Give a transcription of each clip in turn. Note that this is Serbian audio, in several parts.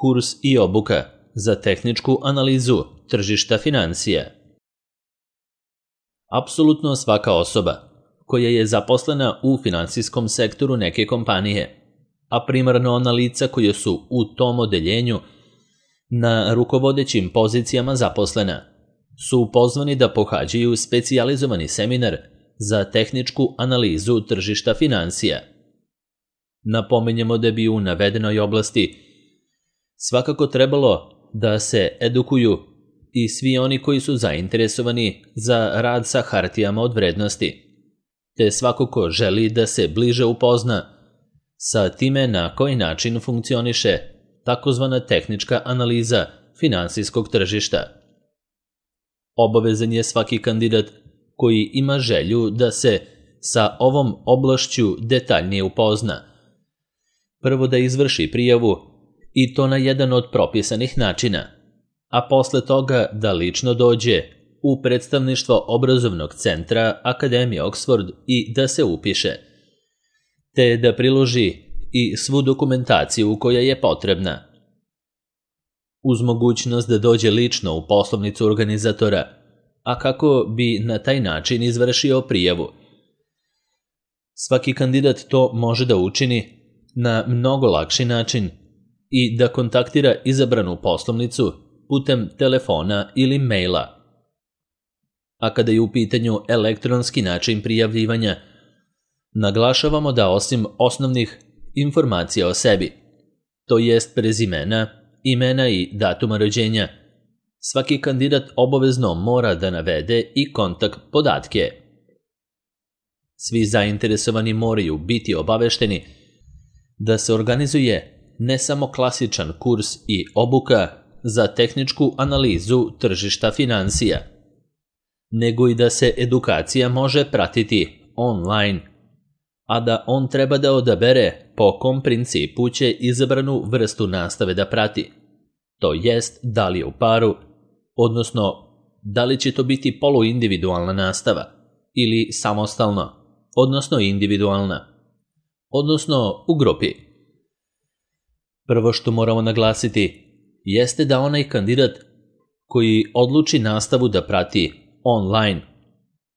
kurs i obuka za tehničku analizu tržišta financija. Apsolutno svaka osoba koja je zaposlena u finansijskom sektoru neke kompanije, a primarno ona lica koja su u tom odeljenju na rukovodećim pozicijama zaposlena, su pozvani da pohađaju specijalizovani seminar za tehničku analizu tržišta financija. Napominjemo da bi u navedenoj oblasti svakako trebalo da se edukuju i svi oni koji su zainteresovani za rad sa hartijama od vrednosti, te svako ko želi da se bliže upozna sa time na koji način funkcioniše takozvana tehnička analiza finansijskog tržišta. Obavezan je svaki kandidat koji ima želju da se sa ovom oblašću detaljnije upozna. Prvo da izvrši prijavu i to na jedan od propisanih načina, a posle toga da lično dođe u predstavništvo obrazovnog centra Akademije Oxford i da se upiše, te da priloži i svu dokumentaciju koja je potrebna. Uz mogućnost da dođe lično u poslovnicu organizatora, a kako bi na taj način izvršio prijavu. Svaki kandidat to može da učini na mnogo lakši način i da kontaktira izabranu poslovnicu putem telefona ili maila. A kada je u pitanju elektronski način prijavljivanja, naglašavamo da osim osnovnih informacija o sebi, to jest prezimena, imena i datuma rođenja, svaki kandidat obavezno mora da navede i kontakt podatke. Svi zainteresovani moraju biti obavešteni da se organizuje ne samo klasičan kurs i obuka za tehničku analizu tržišta financija, nego i da se edukacija može pratiti online, a da on treba da odabere po kom principu će izabranu vrstu nastave da prati, to jest da li je u paru, odnosno da li će to biti poluindividualna nastava ili samostalno, odnosno individualna, odnosno u grupi. Prvo što moramo naglasiti jeste da onaj kandidat koji odluči nastavu da prati online,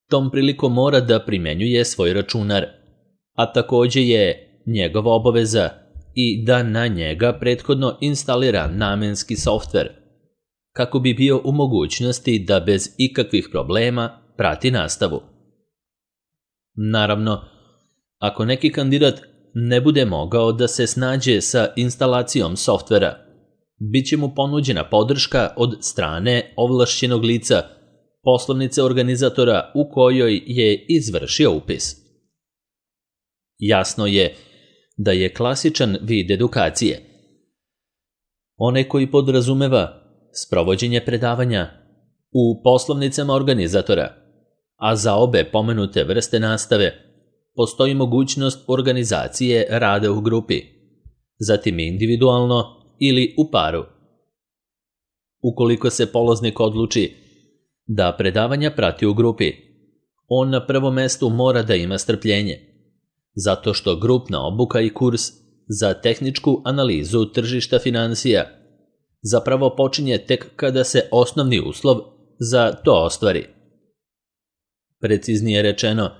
tom prilikom mora da primenjuje svoj računar, a takođe je njegova obaveza i da na njega prethodno instalira namenski softver, kako bi bio u mogućnosti da bez ikakvih problema prati nastavu. Naravno, ako neki kandidat ne bude mogao da se snađe sa instalacijom softvera, bit će mu ponuđena podrška od strane ovlašćenog lica, poslovnice organizatora u kojoj je izvršio upis. Jasno je da je klasičan vid edukacije onaj koji podrazumeva sprovođenje predavanja u poslovnicama organizatora, a za obe pomenute vrste nastave postoji mogućnost organizacije rada u grupi, zatim individualno ili u paru. Ukoliko se polaznik odluči da predavanja prati u grupi, on na prvom mestu mora da ima strpljenje, zato što grupna obuka i kurs za tehničku analizu tržišta financija zapravo počinje tek kada se osnovni uslov za to ostvari. Preciznije rečeno,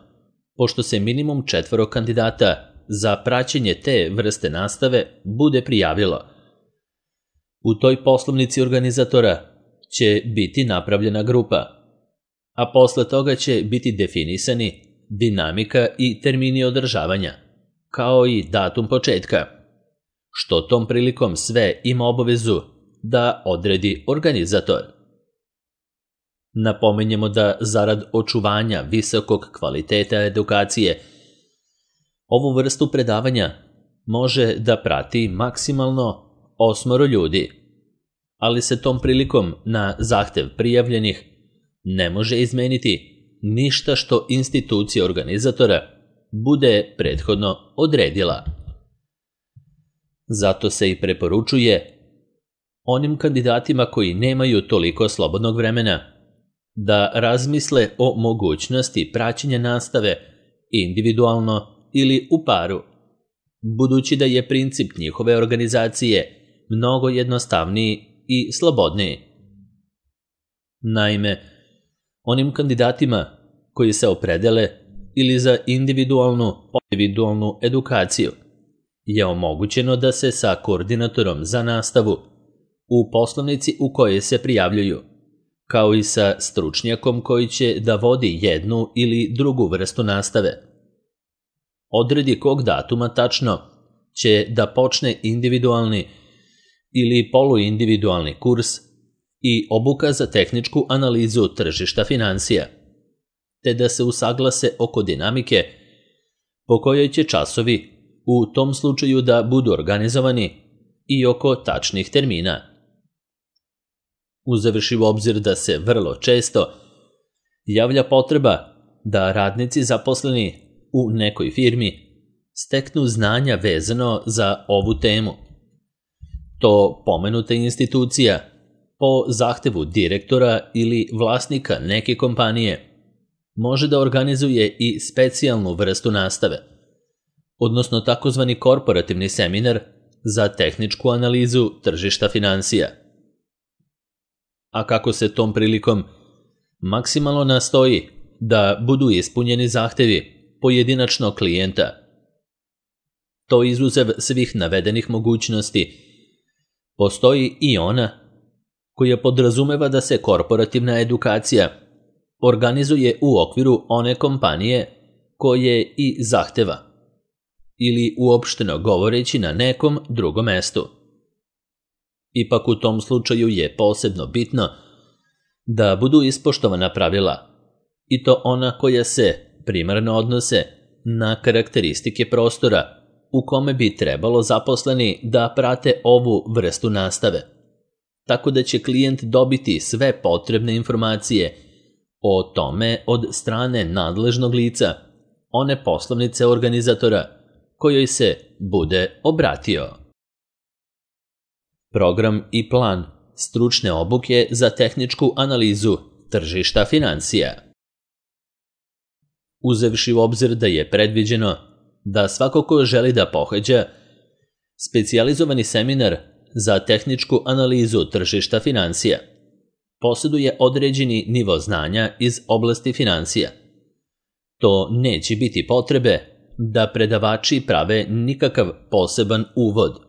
pošto se minimum 4 kandidata za praćenje te vrste nastave bude prijavilo, u toj poslovnici organizatora će biti napravljena grupa, a posle toga će biti definisani dinamika i termini održavanja, kao i datum početka, što tom prilikom sve ima obavezu da odredi organizator. Napominjemo da zarad očuvanja visokog kvaliteta edukacije, ovu vrstu predavanja može da prati maksimalno 8 ljudi, ali se tom prilikom na zahtev prijavljenih ne može izmeniti ništa što institucija organizatora bude prethodno odredila. Zato se i preporučuje onim kandidatima koji nemaju toliko slobodnog vremena da razmisle o mogućnosti praćenja nastave individualno ili u paru, budući da je princip njihove organizacije mnogo jednostavniji i slobodniji. Naime, onim kandidatima koji se opredele ili za individualnu edukaciju je omogućeno da se sa koordinatorom za nastavu u poslovnici u kojoj se prijavljuju, kao i sa stručnjakom koji će da vodi jednu ili drugu vrstu nastave, odredi kog datuma tačno će da počne individualni ili poluindividualni kurs i obuka za tehničku analizu tržišta finansija, te da se usaglase oko dinamike po kojoj će časovi u tom slučaju da budu organizovani i oko tačnih termina. Uzevši u obzir da se vrlo često javlja potreba da radnici zaposleni u nekoj firmi steknu znanja vezano za ovu temu. To pomenuta institucija po zahtevu direktora ili vlasnika neke kompanije može da organizuje i specijalnu vrstu nastave, odnosno takozvani korporativni seminar za tehničku analizu tržišta finansija. A kako se tom prilikom maksimalno nastoji da budu ispunjeni zahtevi pojedinačnog klijenta, to izuzev svih navedenih mogućnosti, postoji i ona koja podrazumeva da se korporativna edukacija organizuje u okviru one kompanije koje i zahteva, ili uopšteno govoreći na nekom drugom mestu. Ipak u tom slučaju je posebno bitno da budu ispoštovana pravila, i to ona koja se primarno odnose na karakteristike prostora u kome bi trebalo zaposleni da prate ovu vrstu nastave, tako da će klijent dobiti sve potrebne informacije o tome od strane nadležnog lica, one poslovnice organizatora kojoj se bude obratio. Program i plan stručne obuke za tehničku analizu tržišta finansija. Uzevši u obzir da je predviđeno da svako ko želi da pohađa specijalizovani seminar za tehničku analizu tržišta finansija posjeduje određeni nivo znanja iz oblasti finansija, to neće biti potrebe da predavači prave nikakav poseban uvod,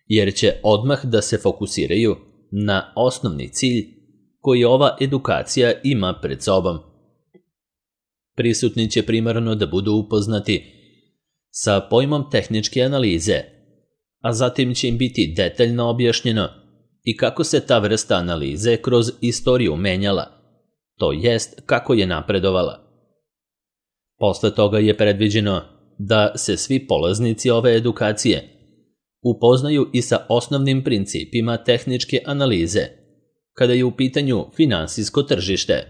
jer će odmah da se fokusiraju na osnovni cilj koji ova edukacija ima pred sobom. Prisutni će primarno da budu upoznati sa pojmom tehničke analize, a zatim će im biti detaljno objašnjeno i kako se ta vrsta analize kroz istoriju menjala, to jest kako je napredovala. Posle toga je predviđeno da se svi polaznici ove edukacije upoznaju i sa osnovnim principima tehničke analize, kada je u pitanju finansijsko tržište.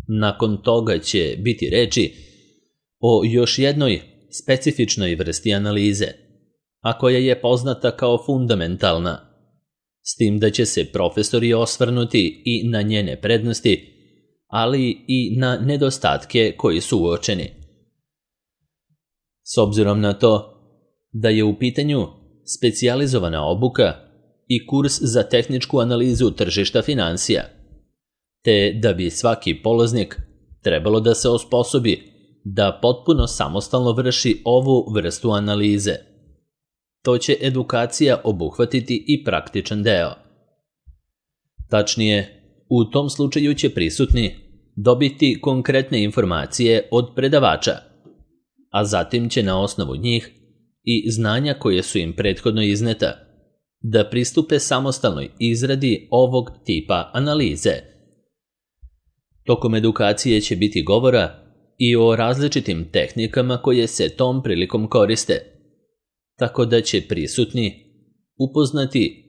Nakon toga će biti reči o još jednoj specifičnoj vrsti analize, a koja je poznata kao fundamentalna, s tim da će se profesori osvrnuti i na njene prednosti, ali i na nedostatke koji su uočeni. S obzirom na to da je u pitanju specijalizovana obuka i kurs za tehničku analizu tržišta finansija, te da bi svaki polaznik trebalo da se osposobi da potpuno samostalno vrši ovu vrstu analize. To će edukacija obuhvatiti i praktičan deo. Tačnije, u tom slučaju će prisutni dobiti konkretne informacije od predavača, a zatim će na osnovu njih i znanja koje su im prethodno izneta da pristupe samostalnoj izradi ovog tipa analize. Tokom edukacije će biti govora i o različitim tehnikama koje se tom prilikom koriste, tako da će prisutni upoznati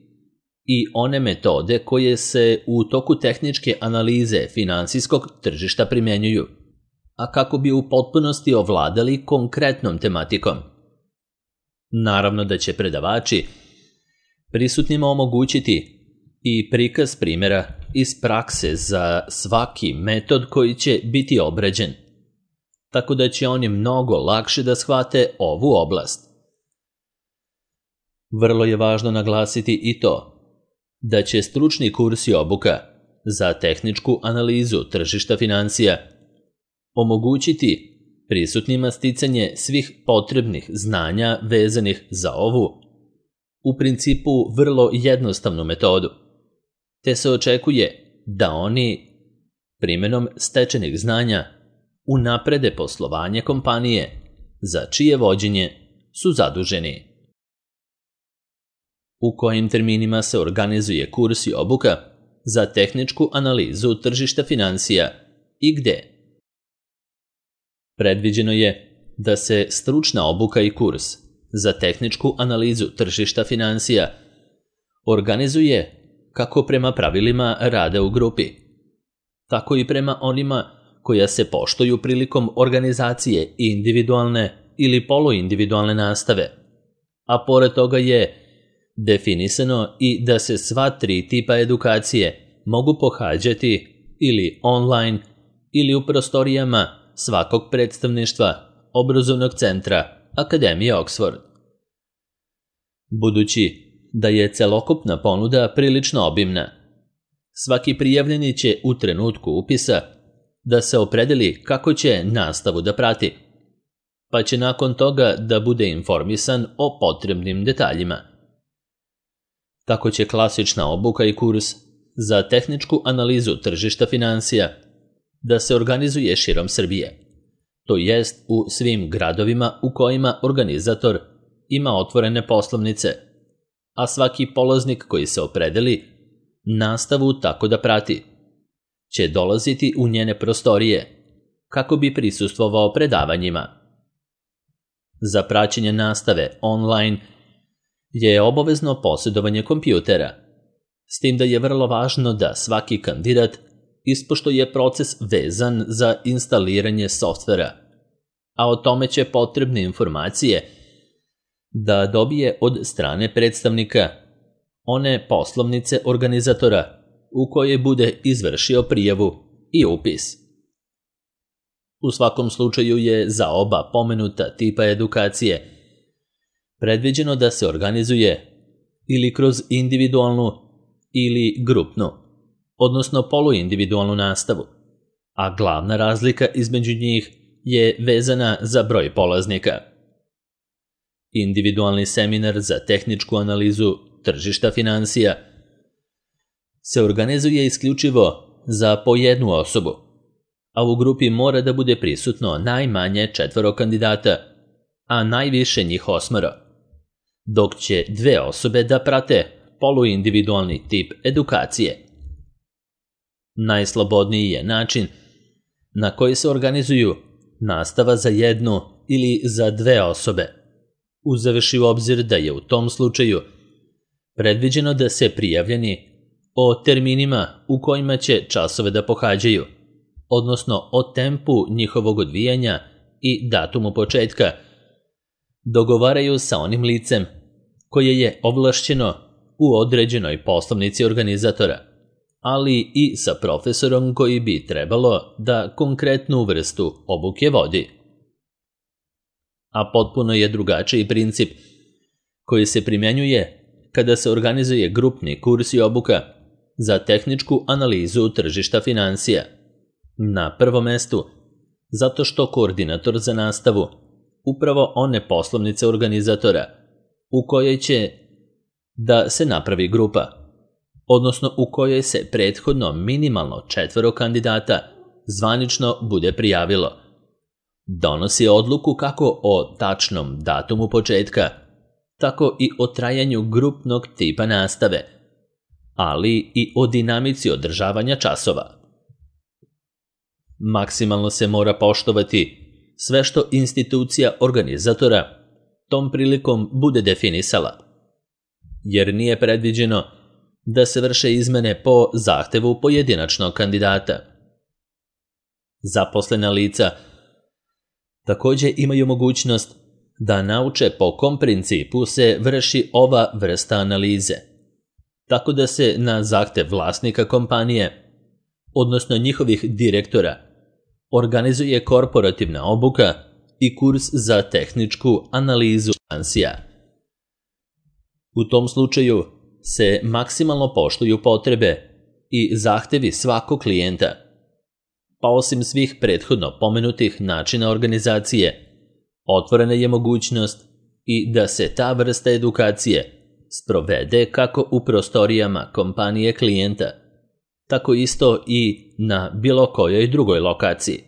i one metode koje se u toku tehničke analize finansijskog tržišta primenjuju, a kako bi u potpunosti ovladali konkretnom tematikom. Naravno da će predavači prisutnima omogućiti i prikaz primjera iz prakse za svaki metod koji će biti obrađen, tako da će oni mnogo lakše da shvate ovu oblast. Vrlo je važno naglasiti i to da će stručni kurs i obuka za tehničku analizu tržišta financija omogućiti prisutnima sticanje svih potrebnih znanja vezanih za ovu, u principu vrlo jednostavnu metodu, te se očekuje da oni primenom stečenih znanja unaprede poslovanje kompanije za čije vođenje su zaduženi. U kojim terminima se organizuje kurs i obuka za tehničku analizu tržišta financija i gde? Predviđeno je da se stručna obuka i kurs za tehničku analizu tržišta financija organizuje kako prema pravilima rada u grupi, tako i prema onima koja se poštuju prilikom organizacije individualne ili poluindividualne nastave, a pored toga je definisano i da se sva tri tipa edukacije mogu pohađati ili online ili u prostorijama svakog predstavništva obrazovnog centra Akademije Oxford. Budući da je celokupna ponuda prilično obimna, svaki prijavljeni će u trenutku upisa da se opredeli kako će nastavu da prati, pa će nakon toga da bude informisan o potrebnim detaljima. Tako će klasična obuka i kurs za tehničku analizu tržišta financija da se organizuje širom Srbije, to jest u svim gradovima u kojima organizator ima otvorene poslovnice, a svaki polaznik koji se opredeli nastavu tako da prati će dolaziti u njene prostorije kako bi prisustvovao predavanjima. Za praćenje nastave online je obavezno posjedovanje kompjutera, s tim da je vrlo važno da svaki kandidat ispoštuje proces vezan za instaliranje softvera, a o tome će potrebne informacije da dobije od strane predstavnika one poslovnice organizatora u kojoj bude izvršio prijavu i upis. U svakom slučaju je za oba pomenuta tipa edukacije predviđeno da se organizuje ili kroz individualnu ili grupnu, odnosno poluindividualnu nastavu, a glavna razlika između njih je vezana za broj polaznika. Individualni seminar za tehničku analizu tržišta financija se organizuje isključivo za po jednu osobu, a u grupi mora da bude prisutno najmanje 4 kandidata, a najviše njih 8, dok će 2 osobe da prate poluindividualni tip edukacije. Najslobodniji je način na koji se organizuju nastava za 1 ili za 2 osobe, uzevši u obzir da je u tom slučaju predviđeno da se prijavljeni o terminima u kojima će časove da pohađaju, odnosno o tempu njihovog odvijanja i datumu početka, dogovaraju sa onim licem koje je ovlašćeno u određenoj poslovnici organizatora, ali i sa profesorom koji bi trebalo da konkretnu vrstu obuke vodi. A potpuno je drugačiji princip koji se primjenjuje kada se organizuje grupni kurs i obuka za tehničku analizu tržišta financija. Na prvom mestu, zato što koordinator za nastavu upravo one poslovnice organizatora u kojoj će da se napravi grupa, odnosno u kojoj se prethodno minimalno 4 kandidata zvanično bude prijavilo, donosi odluku kako o tačnom datumu početka, tako i o trajanju grupnog tipa nastave, ali i o dinamici održavanja časova. Maksimalno se mora poštovati sve što institucija organizatora tom prilikom bude definisala, jer nije predviđeno da se vrše izmene po zahtevu pojedinačnog kandidata. Zaposlena lica takođe imaju mogućnost da nauče po kom principu se vrši ova vrsta analize, tako da se na zahtev vlasnika kompanije, odnosno njihovih direktora, organizuje korporativna obuka i kurs za tehničku analizu financija. U tom slučaju se maksimalno poštuju potrebe i zahtevi svakog klijenta, pa osim svih prethodno pomenutih načina organizacije, otvorena je mogućnost i da se ta vrsta edukacije sprovede kako u prostorijama kompanije klijenta, tako isto i na bilo kojoj drugoj lokaciji.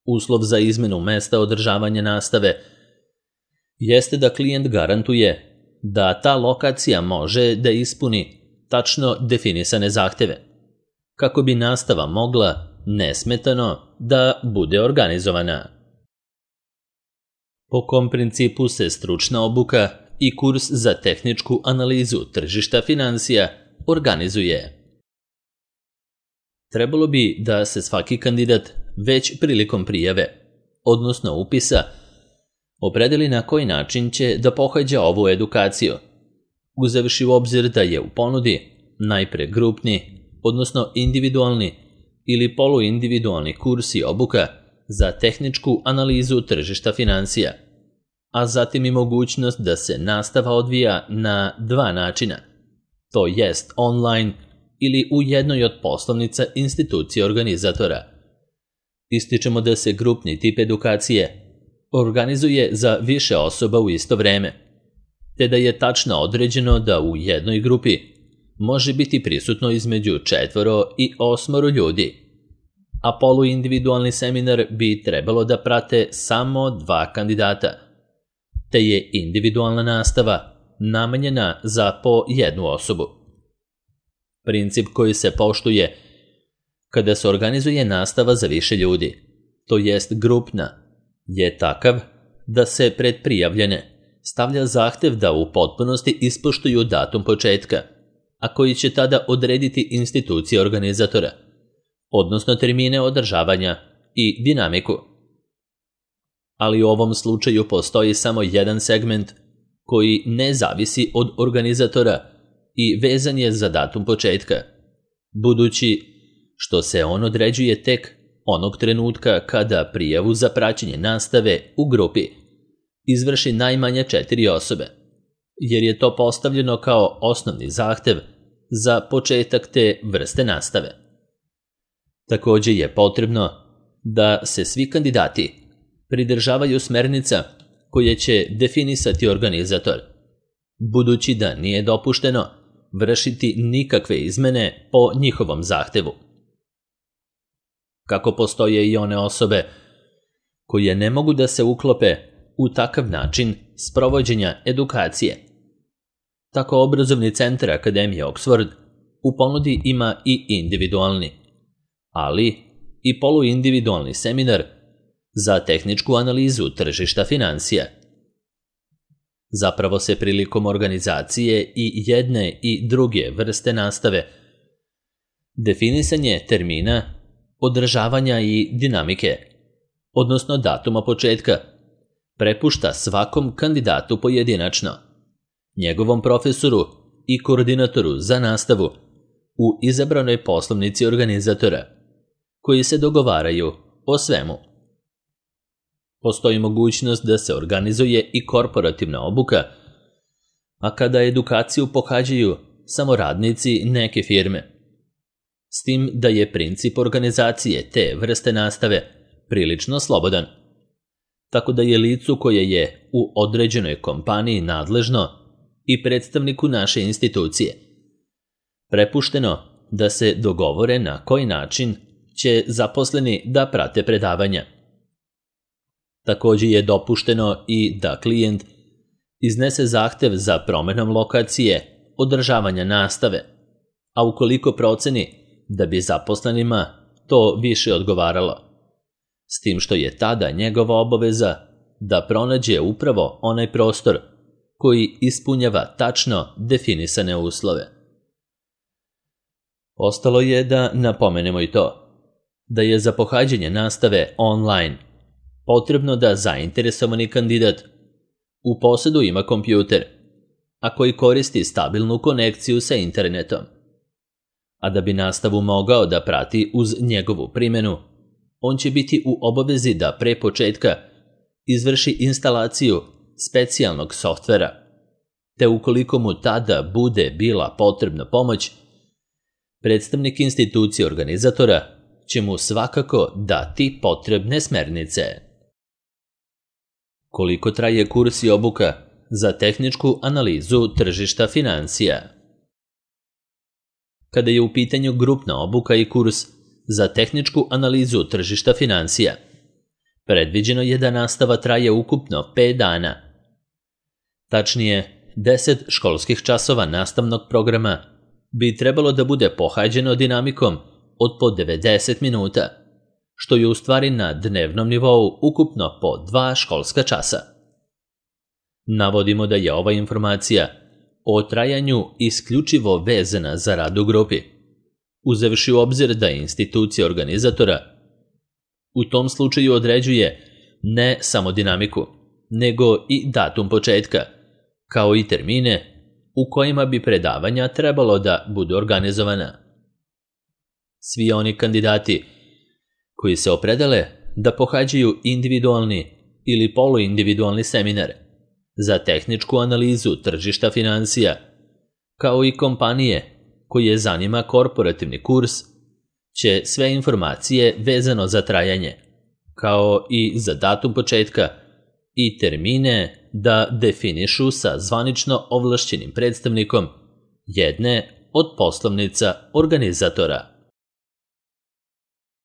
Uslov za izmenu mesta održavanja nastave jeste da klijent garantuje da ta lokacija može da ispuni tačno definisane zahteve, kako bi nastava mogla nesmetano da bude organizovana. Po kom principu se stručna obuka i kurs za tehničku analizu tržišta finansija organizuje? Trebalo bi da se svaki kandidat već prilikom prijave, odnosno upisa, opredeli na koji način će da pohađa ovu edukaciju, uzevši u obzir da je u ponudi najpre grupni, odnosno individualni ili poluindividualni kurs i obuka za tehničku analizu tržišta finansija, a zatim i mogućnost da se nastava odvija na dva načina, to jest online ili u jednoj od poslovnica institucije organizatora. Ističemo da se grupni tip edukacije organizuje za više osoba u isto vreme, te da je tačno određeno da u jednoj grupi može biti prisutno između 4 i 8 ljudi, a poluindividualni seminar bi trebalo da prate samo 2 kandidata, te je individualna nastava namenjena za po jednu osobu. Princip koji se poštuje kada se organizuje nastava za više ljudi, to jest grupna, je takav da se pred prijavljene stavlja zahtev da u potpunosti ispoštuju datum početka, a koji će tada odrediti institucija organizatora, odnosno termine održavanja i dinamiku. Ali u ovom slučaju postoji samo jedan segment koji ne zavisi od organizatora i vezan je za datum početka, budući što se on određuje tek onog trenutka kada prijavu za praćenje nastave u grupi izvrši najmanje 4 osobe, jer je to postavljeno kao osnovni zahtev za početak te vrste nastave. Također je potrebno da se svi kandidati pridržavaju smernica koje će definisati organizator, budući da nije dopušteno vršiti nikakve izmene po njihovom zahtevu. Kako postoje i one osobe koje ne mogu da se uklope u takav način sprovođenja edukacije, tako obrazovni centar Akademije Oxford u ponudi ima i individualni, ali i poluindividualni seminar za tehničku analizu tržišta finansija. Zapravo se prilikom organizacije i jedne i druge vrste nastave definisanje termina, održavanja i dinamike, odnosno datuma početka, prepušta svakom kandidatu pojedinačno, njegovom profesoru i koordinatoru za nastavu u izabranoj poslovnici organizatora, koji se dogovaraju o svemu. Postoji mogućnost da se organizuje i korporativna obuka, a kada edukaciju pohađaju samo radnici neke firme, s tim da je princip organizacije te vrste nastave prilično slobodan, tako da je licu koje je u određenoj kompaniji nadležno i predstavniku naše institucije prepušteno da se dogovore na koji način će zaposleni da prate predavanja. Također je dopušteno i da klijent iznese zahtev za promenom lokacije održavanja nastave, a ukoliko proceni da bi zaposlenima to više odgovaralo, s tim što je tada njegova obaveza da pronađe upravo onaj prostor koji ispunjava tačno definisane uslove. Ostalo je da napomenemo i to, da je za pohađanje nastave online potrebno da zainteresovani kandidat u posjedu ima kompjuter, a koji koristi stabilnu konekciju sa internetom. A da bi nastavu mogao da prati uz njegovu primjenu, on će biti u obavezi da pre početka izvrši instalaciju specijalnog softvera, te ukoliko mu tada bude bila potrebna pomoć, predstavnik institucije organizatora će mu svakako dati potrebne smernice. Koliko traje kurs i obuka za tehničku analizu tržišta finansija? Kada je u pitanju grupna obuka i kurs za tehničku analizu tržišta finansija, predviđeno je da nastava traje ukupno 5 dana. Tačnije, 10 školskih časova nastavnog programa bi trebalo da bude pohađeno dinamikom od po 90 minuta, što je u stvari na dnevnom nivou ukupno po 2 školska časa. Navodimo da je ova informacija o trajanju isključivo vezana za rad u grupi, uzevši u obzir da institucija organizatora u tom slučaju određuje ne samo dinamiku, nego i datum početka, kao i termine u kojima bi predavanja trebalo da budu organizovana. Svi oni kandidati koji se opredele da pohađaju individualni ili poluindividualni seminar za tehničku analizu tržišta finansija, kao i kompanije koje zanima korporativni kurs, će sve informacije vezano za trajanje, kao i za datum početka i termine da definišu sa zvanično ovlašćenim predstavnikom jedne od poslovnica organizatora.